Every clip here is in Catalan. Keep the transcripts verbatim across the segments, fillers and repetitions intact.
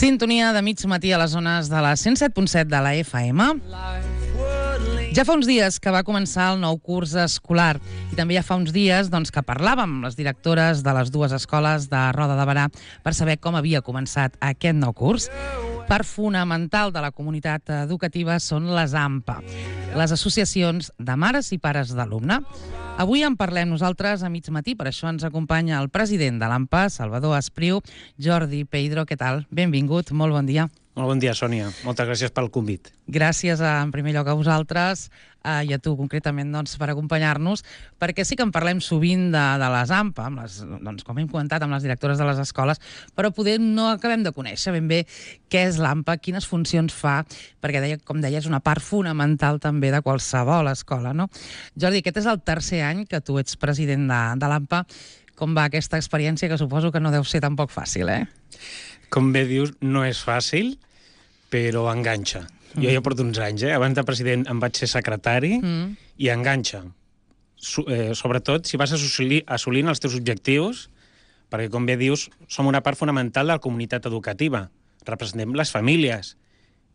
Sintonia de mig matí a les zones de la cent set punt set de la F M. Ja fa uns dies que va començar el nou curs escolar i també ja fa uns dies doncs, que parlàvem amb les directores de les dues escoles de Roda de Berà per saber com havia començat aquest nou curs. Part fonamental de la comunitat educativa són les A M P A, les associacions de mares i pares d'alumne. Avui en parlem nosaltres a mig matí, per això ens acompanya el president de l'A M P A, Salvador Espriu. Jordi Peidro, què tal? Benvingut, molt bon dia. Molt bon dia, Sònia. Moltes gràcies pel convit. Gràcies, en primer lloc, a vosaltres eh, i a tu, concretament, doncs, per acompanyar-nos, perquè sí que en parlem sovint de, de les A M P A, amb les, doncs, com hem comentat, amb les directores de les escoles, però poder no acabem de conèixer ben bé què és l'A M P A, quines funcions fa, perquè, deia, com deia, és una part fonamental també de qualsevol escola, no? Jordi, aquest és el tercer any que tu ets president de, de l'A M P A. Com va aquesta experiència, que suposo que no deu ser tampoc fàcil, eh? Com bé dius, no és fàcil, però enganxa. Mm. Jo ja porto uns anys, eh? Abans de president em vaig ser secretari mm. i enganxa. So, eh, sobretot si vas assolir, assolint els teus objectius, perquè, com bé dius, som una part fonamental de la comunitat educativa. Representem les famílies.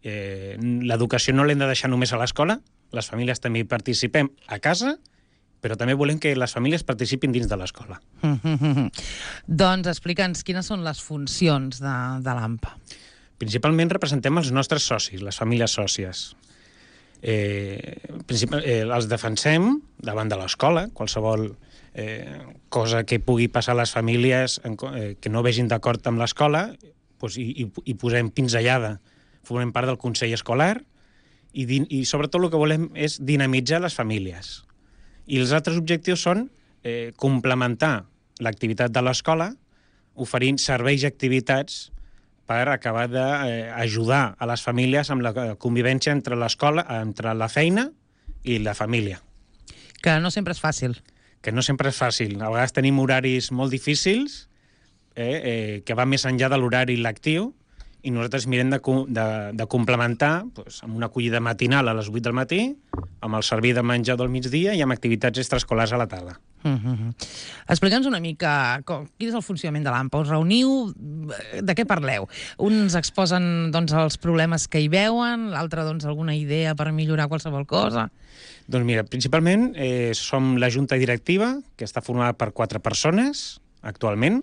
Eh, L'educació no l'hem de deixar només a l'escola, les famílies també hi participem a casa, però també volem que les famílies participin dins de l'escola. Mm-hmm. Doncs explica'ns quines són les funcions de, de l'A M P A. Principalment representem els nostres socis, les famílies sòcies. Eh, principal, eh, els defensem davant de l'escola, qualsevol eh, cosa que pugui passar a les famílies eh, que no vegin d'acord amb l'escola, doncs, i, i, i posem pinzellada. Formem part del Consell Escolar i, din, i sobretot el que volem és dinamitzar les famílies. I els altres objectius són eh, complementar l'activitat de l'escola oferint serveis i activitats per acabar d'ajudar a les famílies amb la convivència entre l'escola, entre la feina i la família. Que no sempre és fàcil. Que no sempre és fàcil. A vegades tenim horaris molt difícils, eh, eh, que van més enllà de l'horari lectiu, i nosaltres mirem de, de, de complementar doncs, amb una acollida matinal a les vuit del matí, amb el servir de menjar del migdia i amb activitats extraescolars a la tarda. Mm-hmm. Explica'ns una mica com, quin és el funcionament de l'A M P A. Us reuniu? De què parleu? Uns exposen doncs, els problemes que hi veuen, l'altre doncs, alguna idea per millorar qualsevol cosa? Doncs mira, principalment eh, som la junta directiva, que està formada per quatre persones actualment.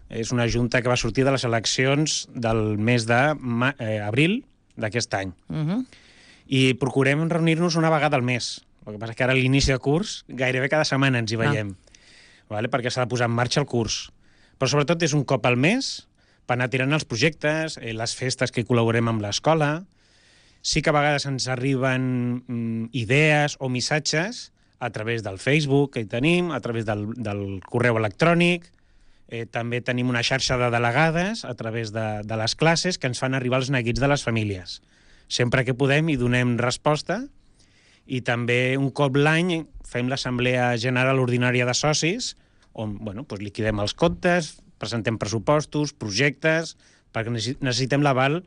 És una junta que va sortir de les eleccions del mes d'abril d'aquest any. Uh-huh. I procurem reunir-nos una vegada al mes. El que passa que ara a l'inici de curs gairebé cada setmana ens hi veiem, ah. vale? Perquè s'ha de posar en marxa el curs. Però sobretot és un cop al mes per anar tirant els projectes, eh, les festes que col·laborem amb l'escola. Sí que a vegades ens arriben mm, idees o missatges a través del Facebook que hi tenim, a través del, del correu electrònic. Eh, també tenim una xarxa de delegades a través de, de les classes que ens fan arribar els neguits de les famílies. Sempre que podem hi donem resposta i també un cop l'any fem l'assemblea general ordinària de socis on bueno, doncs liquidem els comptes, presentem pressupostos, projectes, perquè necessitem l'aval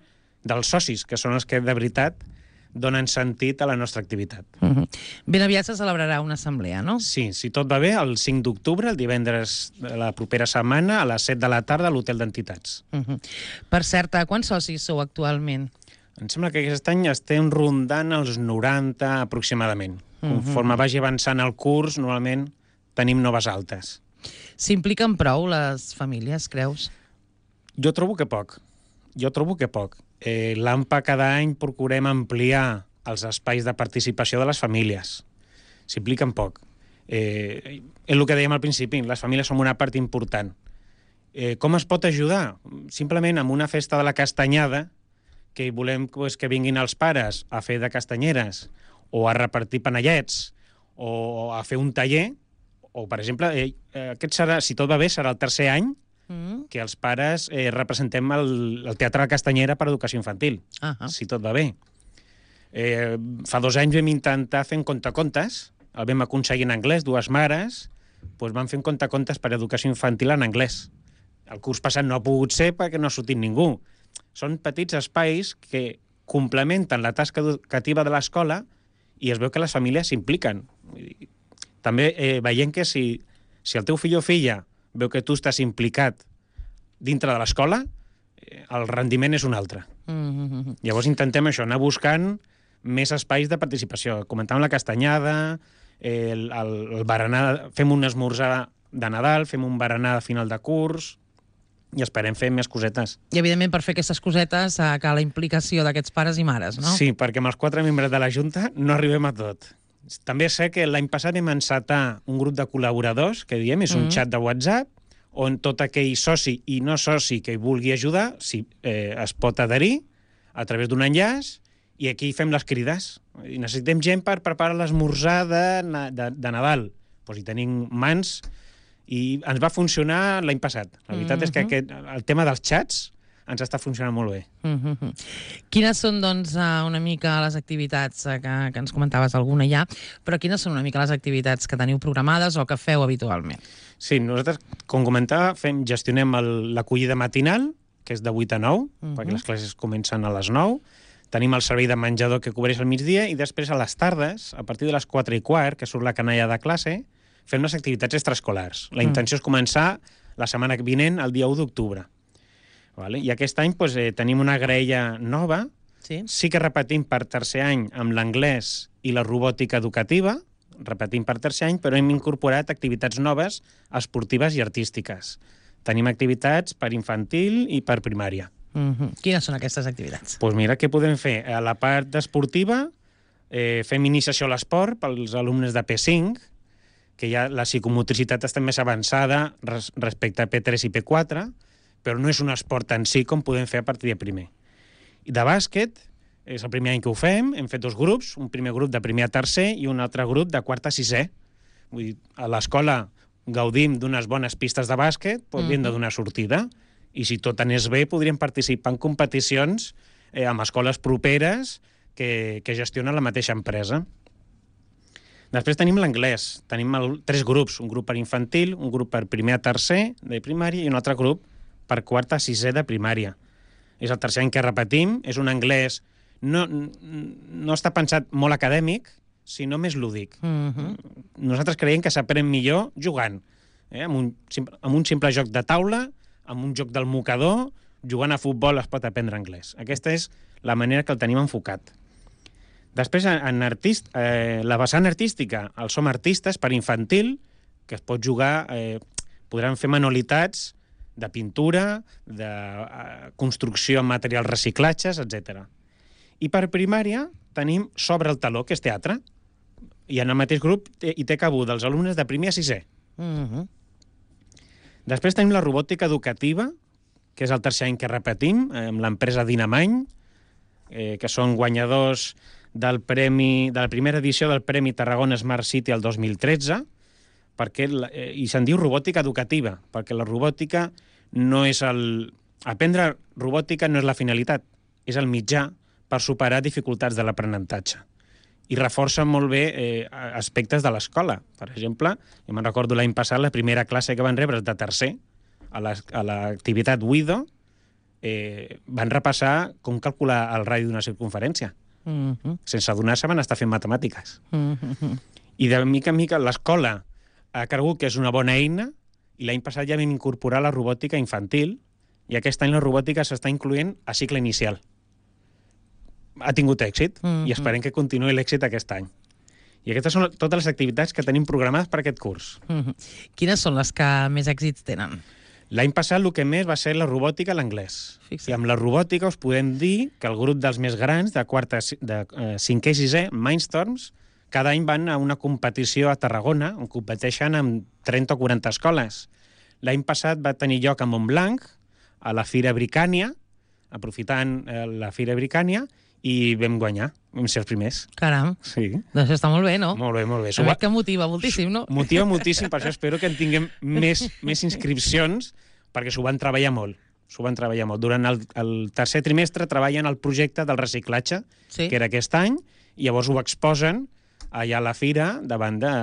dels socis, que són els que de veritat donen sentit a la nostra activitat. Uh-huh. Ben aviat se celebrarà una assemblea, no? Sí, si tot va bé, el cinc d'octubre, el divendres de la propera setmana, a les set de la tarda, a l'Hotel d'Entitats. Uh-huh. Per cert, quants socis sou actualment? Em sembla que aquest any estem rondant els noranta aproximadament. Uh-huh. Conforme vagi avançant el curs, normalment tenim noves altes. S'impliquen prou les famílies, creus? Jo trobo que poc. Jo trobo que poc. Eh, L'A M P A cada any procurem ampliar els espais de participació de les famílies. S'impliquen poc. Eh, és el que dèiem al principi, les famílies som una part important. Eh, com es pot ajudar? Simplement amb una festa de la castanyada, que volem pues, que vinguin els pares a fer de castanyeres, o a repartir panellets, o a fer un taller, o, per exemple, eh, aquest serà, si tot va bé, serà el tercer any que els pares eh, representem el, el Teatre de Castanyera per Educació Infantil, uh-huh. si tot va bé. Eh, fa dos anys vam intentar fer un contacontes, el vam aconseguir en anglès, dues mares, doncs vam fer un contacontes per Educació Infantil en anglès. El curs passat no ha pogut ser perquè no ha sortit ningú. Són petits espais que complementen la tasca educativa de l'escola i es veu que les famílies s'impliquen. També eh, veiem que si, si el teu fill o filla veu que tu estàs implicat dintre de l'escola, el rendiment és un altre. Mm-hmm. Llavors intentem això, anar buscant més espais de participació. Comentàvem la castanyada, el, el, el berenar, fem un esmorzar de Nadal, fem un berenar de final de curs i esperem fer més cosetes. I, evidentment, per fer aquestes cosetes eh, cal la implicació d'aquests pares i mares, no? Sí, perquè amb els quatre membres de la Junta no arribem a tot. També sé que l'any passat vam encetar un grup de col·laboradors, que diem, és un Mm. xat de WhatsApp, on tot aquell soci i no soci que hi vulgui ajudar si, eh, es pot adherir a través d'un enllaç i aquí fem les crides. I necessitem gent per preparar l'esmorzar de, na- de, de Nadal. Pues hi tenim mans i ens va funcionar l'any passat. La veritat és que aquest, el tema dels xats ens està funcionant molt bé. Mm-hmm. Quines són, doncs, eh, una mica les activitats eh, que, que ens comentaves alguna ja, però quines són una mica les activitats que teniu programades o que feu habitualment? Sí, nosaltres, com comentava, fem, gestionem el- l'acollida matinal, que és de vuit a nou, Mhm. perquè les classes comencen a les nou. Tenim el servei de menjador que cobreix al migdia i després a les tardes, a partir de les quatre i quart, que surt la canalla de classe, fem les activitats extraescolars. La Mm. intenció és començar la setmana vinent, el dia u d'octubre. Vale? I aquest any doncs, eh, tenim una graella nova. Sí? Sí que repetim per tercer any amb l'anglès i la robòtica educativa, repetim per tercer any, però hem incorporat activitats noves, esportives i artístiques. Tenim activitats per infantil i per primària. Mm-hmm. Quines són aquestes activitats? Doncs pues mira, què podem fer? A la part esportiva eh, fem iniciació a l'esport pels alumnes de P cinc, que ja la psicomotricitat està més avançada res respecte a P tres i P quatre, però no és un esport en si com podem fer a partir de primer. I de bàsquet, és el primer any que ho fem, hem fet dos grups, un primer grup de primer a tercer i un altre grup de quart a sisè. Vull dir, a l'escola gaudim d'unes bones pistes de bàsquet, podríem de donar sortida, i si tot anés bé podríem participar en competicions eh, amb escoles properes que, que gestionen la mateixa empresa. Després tenim l'anglès. Tenim el, tres grups, un grup per infantil, un grup per primer a tercer de primària i un altre grup per quart a sisè de primària. És el tercer any que repetim, és un anglès... No, no està pensat molt acadèmic, sinó més lúdic. Mm-hmm. Nosaltres creiem que s'aprèn millor jugant, eh? amb, un, amb un simple joc de taula, amb un joc del mocador, jugant a futbol es pot aprendre anglès. Aquesta és la manera que el tenim enfocat. Després, en artist, eh, la vessant artística, el Som Artistes per infantil, que es pot jugar, eh, podran fer manualitats de pintura, de eh, construcció amb materials reciclatges, etcètera. I per primària tenim Sobre el taló, que és teatre, i en el mateix grup hi té cabuda dels alumnes de primer a sisè. Mm-hmm. Després tenim la robòtica educativa, que és el tercer any que repetim, amb l'empresa Dinamany, eh, que són guanyadors del premi, de la primera edició del Premi Tarragona Smart City el dos mil tretze, perquè, eh, i se'n diu robòtica educativa, perquè la robòtica no és el... Aprendre robòtica no és la finalitat, és el mitjà per superar dificultats de l'aprenentatge. I reforça molt bé eh, aspectes de l'escola. Per exemple, jo me'n recordo l'any passat, la primera classe que van rebre de tercer, a l'activitat WIDO, eh, van repassar com calcular el radi d'una circunferència. Mm-hmm. Sense adonar-se van estar fent matemàtiques. Mm-hmm. I de mica en mica l'escola ha cregut que és una bona eina i l'any passat ja vam incorporar la robòtica infantil i aquest any la robòtica s'està incloent a cicle inicial. Ha tingut èxit Mm-hmm. i esperem que continuï l'èxit aquest any. I aquestes són totes les activitats que tenim programades per aquest curs. Mm-hmm. Quines són les que més èxits tenen? L'any passat el que més va ser la robòtica i l'anglès. Fixa't. I amb la robòtica us podem dir que el grup dels més grans, de quart a ci- de eh, cinquè i sisè, Mindstorms, cada any van a una competició a Tarragona, on competeixen amb trenta o quaranta escoles. L'any passat va tenir lloc a Montblanc, a la Fira Bricània, aprofitant eh, la Fira Bricània, i vam guanyar, vam ser els primers. Caram, Sí. doncs està molt bé, no? Molt bé, molt bé. A veure que motiva moltíssim, no? Motiva moltíssim, per això espero que en tinguem més, més inscripcions, perquè s'ho van treballar molt. S'ho van treballar molt. Durant el, el tercer trimestre treballen el projecte del reciclatge, Sí. que era aquest any, i llavors ho exposen allà a la fira davant de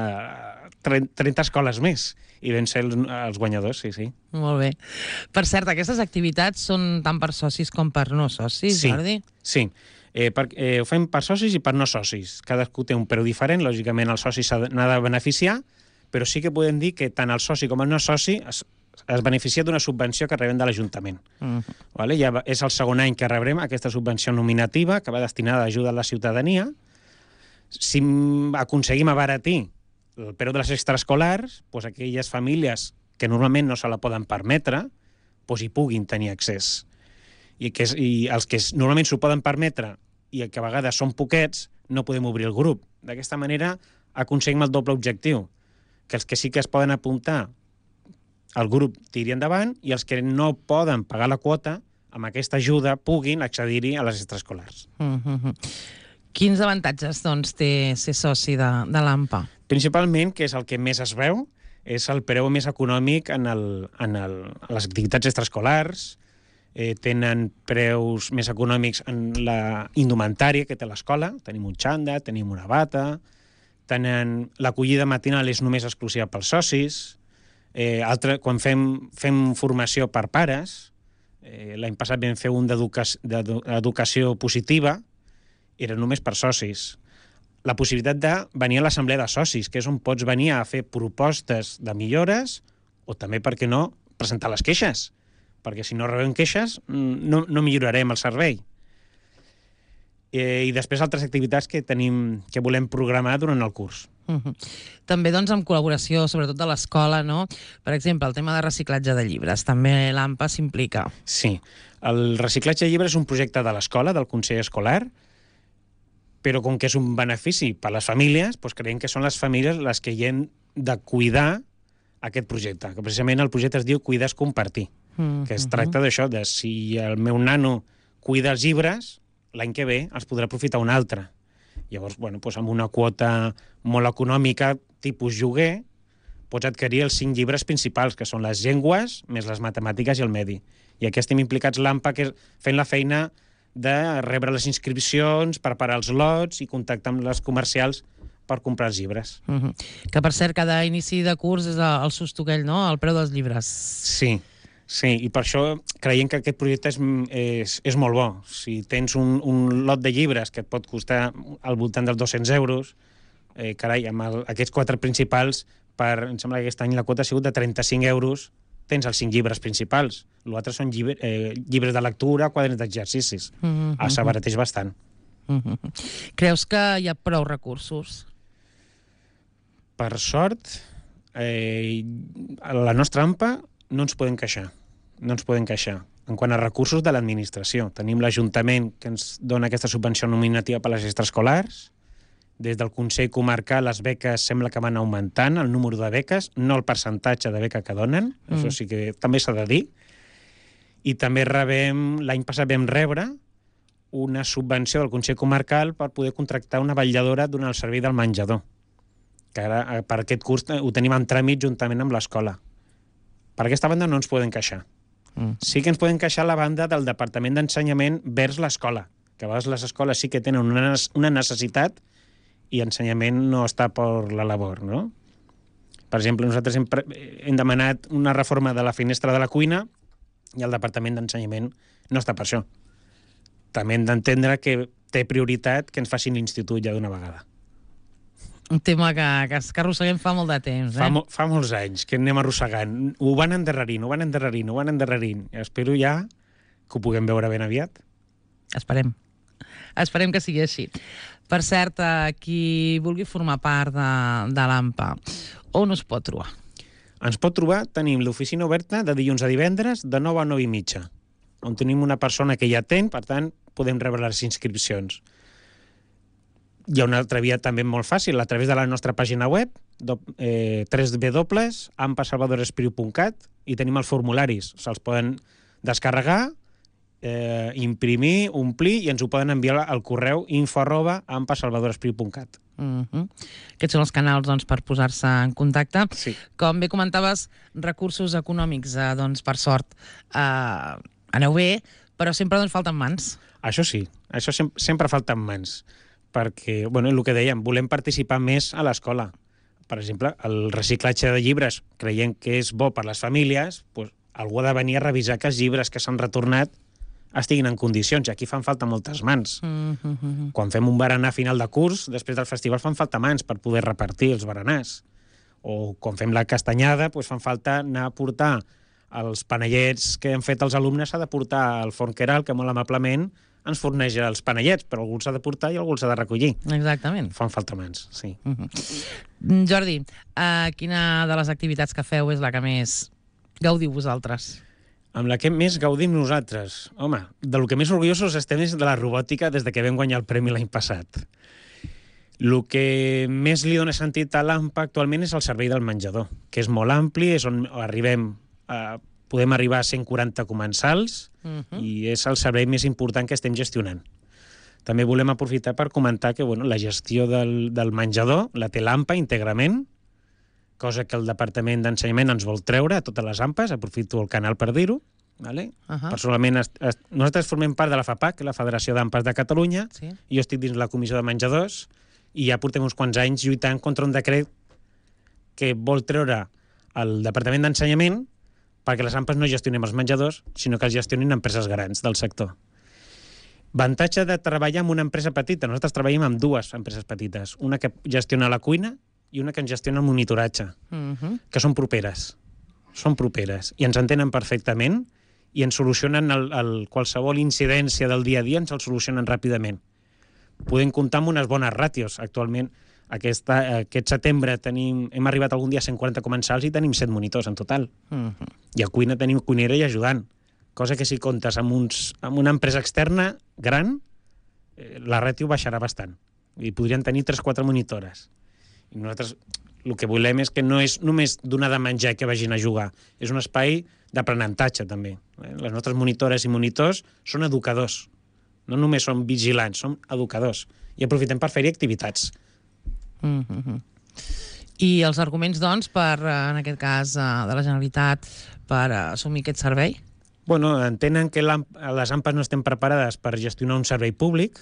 trenta escoles més. I vam ser els, els guanyadors, sí, sí. Molt bé. Per cert, aquestes activitats són tant per socis com per no socis, Sí, Jordi? sí. Eh, per, eh, ho fem per socis i per no socis. Cadascú té un preu diferent, lògicament el soci s'ha de- n'ha de beneficiar, però sí que podem dir que tant el soci com el no soci es, es beneficia d'una subvenció que rebem de l'Ajuntament. Mm. Vale? Ja és el segon any que rebrem aquesta subvenció nominativa que va destinada a ajuda a la ciutadania. Si aconseguim abaratir el preu de les extraescolars, doncs aquelles famílies que normalment no se la poden permetre, doncs hi puguin tenir accés. I, que és, i els que normalment s'ho poden permetre i que a vegades són poquets, no podem obrir el grup. D'aquesta manera aconseguim el doble objectiu, que els que sí que es poden apuntar al grup tiri endavant i els que no poden pagar la quota, amb aquesta ajuda puguin accedir-hi a les extraescolars. Mm-hmm. Quins avantatges doncs, té ser soci de, de l'AMPA? Principalment, que és el que més es veu, és el preu més econòmic en, el, en, el, en les activitats extraescolars, eh, tenen preus més econòmics en la indumentària que té l'escola, tenim un xanda, tenim una bata, tenen l'acollida matinal és només exclusiva pels socis, eh, altre, quan fem, fem formació per pares, eh, l'any passat vam fer un d'educació positiva, era només per socis. La possibilitat de venir a l'assemblea de socis, que és on pots venir a fer propostes de millores o també, per què no, presentar les queixes, perquè si no rebem queixes no, no millorarem el servei. Eh, I després altres activitats que tenim que volem programar durant el curs. Uh-huh. També doncs amb col·laboració, sobretot de l'escola, no? Per exemple, el tema de reciclatge de llibres, també l'AMPA s'implica. Sí, el reciclatge de llibres és un projecte de l'escola, del Consell Escolar, però com que és un benefici per a les famílies, doncs creiem que són les famílies les que hi han de cuidar aquest projecte, que precisament el projecte es diu Cuidar és compartir, mm-hmm. que es tracta d'això, de si el meu nano cuida els llibres, l'any que ve els podrà aprofitar un altre. Llavors, bueno, doncs amb una quota molt econòmica, tipus lloguer, pots adquirir els cinc llibres principals, que són les llengües, més les matemàtiques i el medi. I aquí estem implicats l'AMPA, que fent la feina de rebre les inscripcions, preparar els lots i contactar amb les comercials per comprar els llibres. Uh-huh. Que, per cert, cada inici de curs és el susto aquell, no?, el preu dels llibres. Sí, sí, i per això creiem que aquest projecte és, és, és molt bo. Si tens un, un lot de llibres que et pot costar al voltant dels dos-cents euros, eh, carai, amb el, aquests quatre principals, per, em sembla que aquest any la quota ha sigut de trenta-cinc euros, tens els cinc llibres principals. L'altre són llibre, eh, llibres de lectura, quaderns d'exercicis. Mm-hmm. S'abarateix bastant. Mm-hmm. Creus que hi ha prou recursos? Per sort, eh, la nostra AMPA no ens podem queixar. No ens podem queixar. En quant a recursos de l'administració, tenim l'Ajuntament que ens dona aquesta subvenció nominativa per a les extraescolars. Des del Consell Comarcal les beques sembla que van augmentant, el número de beques, no el percentatge de beca que donen, mm. això sí que també s'ha de dir. I també rebem, l'any passat vam rebre una subvenció del Consell Comarcal per poder contractar una vetlladora durant el servei del menjador, que ara per aquest curs ho tenim en tràmit juntament amb l'escola. Per aquesta banda no ens podem queixar. Mm. Sí que ens podem queixar la banda del Departament d'Ensenyament vers l'escola, que a vegades les escoles sí que tenen una, una necessitat i ensenyament no està per la labor, no? Per exemple, nosaltres hem, hem demanat una reforma de la finestra de la cuina i el Departament d'Ensenyament no està per això. També hem d'entendre que té prioritat que ens facin l'institut ja d'una vegada. Un tema que, que, que arrosseguem fa molt de temps, eh? Fa, mo, fa molts anys que anem arrossegant. Ho van endarrerint, ho van endarrerint, ho van endarrerint. I espero ja que ho puguem veure ben aviat. Esperem. Esperem que sigui així. Per cert, qui vulgui formar part de, de l'AMPA, on us pot trobar? Ens pot trobar, tenim l'oficina oberta de dilluns a divendres de nou a nou i mitja, on tenim una persona que hi atén, per tant, podem rebre les inscripcions. Hi ha una altra via també molt fàcil, a través de la nostra pàgina web, eh, w w w punt ampa salvador espriu punt cat, i tenim els formularis. Se'ls poden descarregar, Eh, imprimir, omplir i ens ho poden enviar al correu info arroba ampa salvador espriu punt cat. Uh-huh. Aquests són els canals doncs, per posar-se en contacte. Sí. Com bé comentaves, recursos econòmics, eh, doncs, per sort, eh, aneu bé, però sempre doncs, falten mans. Això sí, això sem sempre falten mans, perquè, bueno, el que dèiem, volem participar més a l'escola. Per exemple, el reciclatge de llibres creiem que és bo per les famílies, doncs, algú ha de venir a revisar que els llibres que s'han retornat estiguin en condicions, i aquí fan falta moltes mans. Mm-hmm. Quan fem un berenar a final de curs, després del festival fan falta mans per poder repartir els berenars. O quan fem la castanyada, doncs fan falta anar a portar els panellets que han fet els alumnes s'ha de portar al forn Queralt, que molt amablement ens forneix els panellets, però algú s'ha de portar i algú s'ha de recollir. Exactament. Fan falta mans, sí. Uh -huh. Jordi, uh, quina de les activitats que feu és la que més gaudiu vosaltres? Amb la que més gaudim nosaltres? Home, de lo que més orgullosos estem és de la robòtica des de que vam guanyar el premi l'any passat. El que més li dona sentit a l'A M P A actualment és el servei del menjador, que és molt ampli, és on arribem a... podem arribar a cent quaranta comensals uh -huh. i és el servei més important que estem gestionant. També volem aprofitar per comentar que bueno, la gestió del, del menjador la té l'A M P A íntegrament, cosa que el Departament d'Ensenyament ens vol treure a totes les A M P As, aprofito el canal per dir-ho. Vale? Uh -huh. Personalment, est, est, nosaltres formem part de la FAPAC, la Federació d'A M P As de Catalunya, sí. I jo estic dins la Comissió de Menjadors, i ja portem uns quants anys lluitant contra un decret que vol treure el Departament d'Ensenyament perquè les A M P As no gestionem els menjadors, sinó que els gestionin empreses grans del sector. Avantatge de treballar amb una empresa petita. Nosaltres treballem amb dues empreses petites. Una que gestiona la cuina i una que ens gestiona el monitoratge, uh-huh. que són properes. Són properes. I ens entenen perfectament i ens solucionen el, el, qualsevol incidència del dia a dia, ens el solucionen ràpidament. Podem comptar amb unes bones ràtios. Actualment, aquesta, aquest setembre tenim, hem arribat algun dia a cent quaranta comensals i tenim set monitors en total. Uh-huh. I a cuina tenim cuinera i ajudant. Cosa que si comptes amb, uns, amb una empresa externa gran, eh, la ràtio baixarà bastant. I podrien tenir tres o quatre monitores. I nosaltres el que volem és que no és només donar de menjar i que vagin a jugar, és un espai d'aprenentatge també. Les nostres monitores i monitors són educadors. No només són vigilants, són educadors. I aprofitem per fer-hi activitats. Mm-hmm. I els arguments, doncs, per, en aquest cas, de la Generalitat, per assumir aquest servei? Bueno, entenen que les A M P As no estem preparades per gestionar un servei públic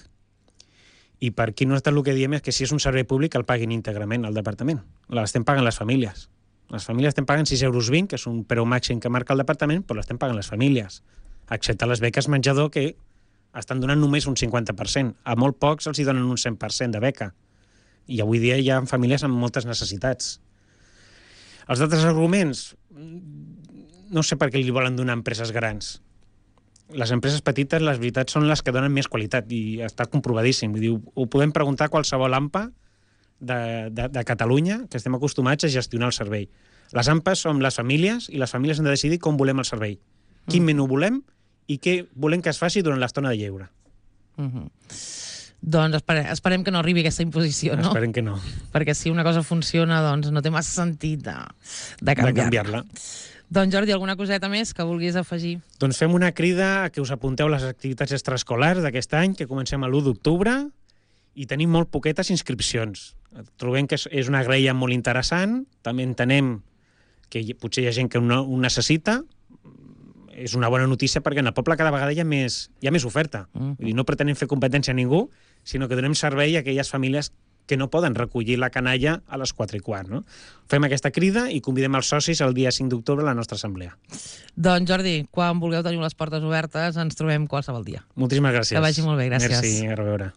i per aquí nosaltres el que diem és que si és un servei públic el paguin íntegrament al departament. L'estem pagant les famílies. Les famílies estem pagant sis euros vint, que és un preu màxim que marca el departament, però l'estem pagant les famílies, excepte les beques menjador, que estan donant només un cinquanta per cent. A molt pocs els hi donen un cent per cent de beca. I avui dia hi ha famílies amb moltes necessitats. Els altres arguments, no sé per què li volen donar a empreses grans. Les empreses petites, les veritats, són les que donen més qualitat i està comprovadíssim. Vull dir, ho podem preguntar a qualsevol A M P A de, de, de Catalunya, que estem acostumats a gestionar el servei. Les A M P As som les famílies i les famílies han de decidir com volem el servei, quin mm. menú volem i què volem que es faci durant l'estona de lleure. Mm-hmm. Doncs esperem, esperem que no arribi aquesta imposició, no? Esperem que no. Perquè si una cosa funciona, doncs no té massa sentit de, de canviar-la. De canviar-la. Doncs Jordi, alguna coseta més que vulguis afegir? Doncs fem una crida a que us apunteu a les activitats extraescolars d'aquest any, que comencem a l'u d'octubre, i tenim molt poquetes inscripcions. Trobem que és una graella molt interessant, també entenem que potser hi ha gent que ho necessita, és una bona notícia perquè en el poble cada vegada hi ha més, hi ha més oferta. Uh-huh. Vull dir, no pretenem fer competència a ningú, sinó que donem servei a aquelles famílies que no poden recollir la canalla a les quatre i quart. No? Fem aquesta crida i convidem els socis el dia cinc d'octubre a la nostra assemblea. Doncs Jordi, quan vulgueu tenir les portes obertes ens trobem qualsevol dia. Moltíssimes gràcies. Que vagi molt bé, gràcies. Merci, a reveure.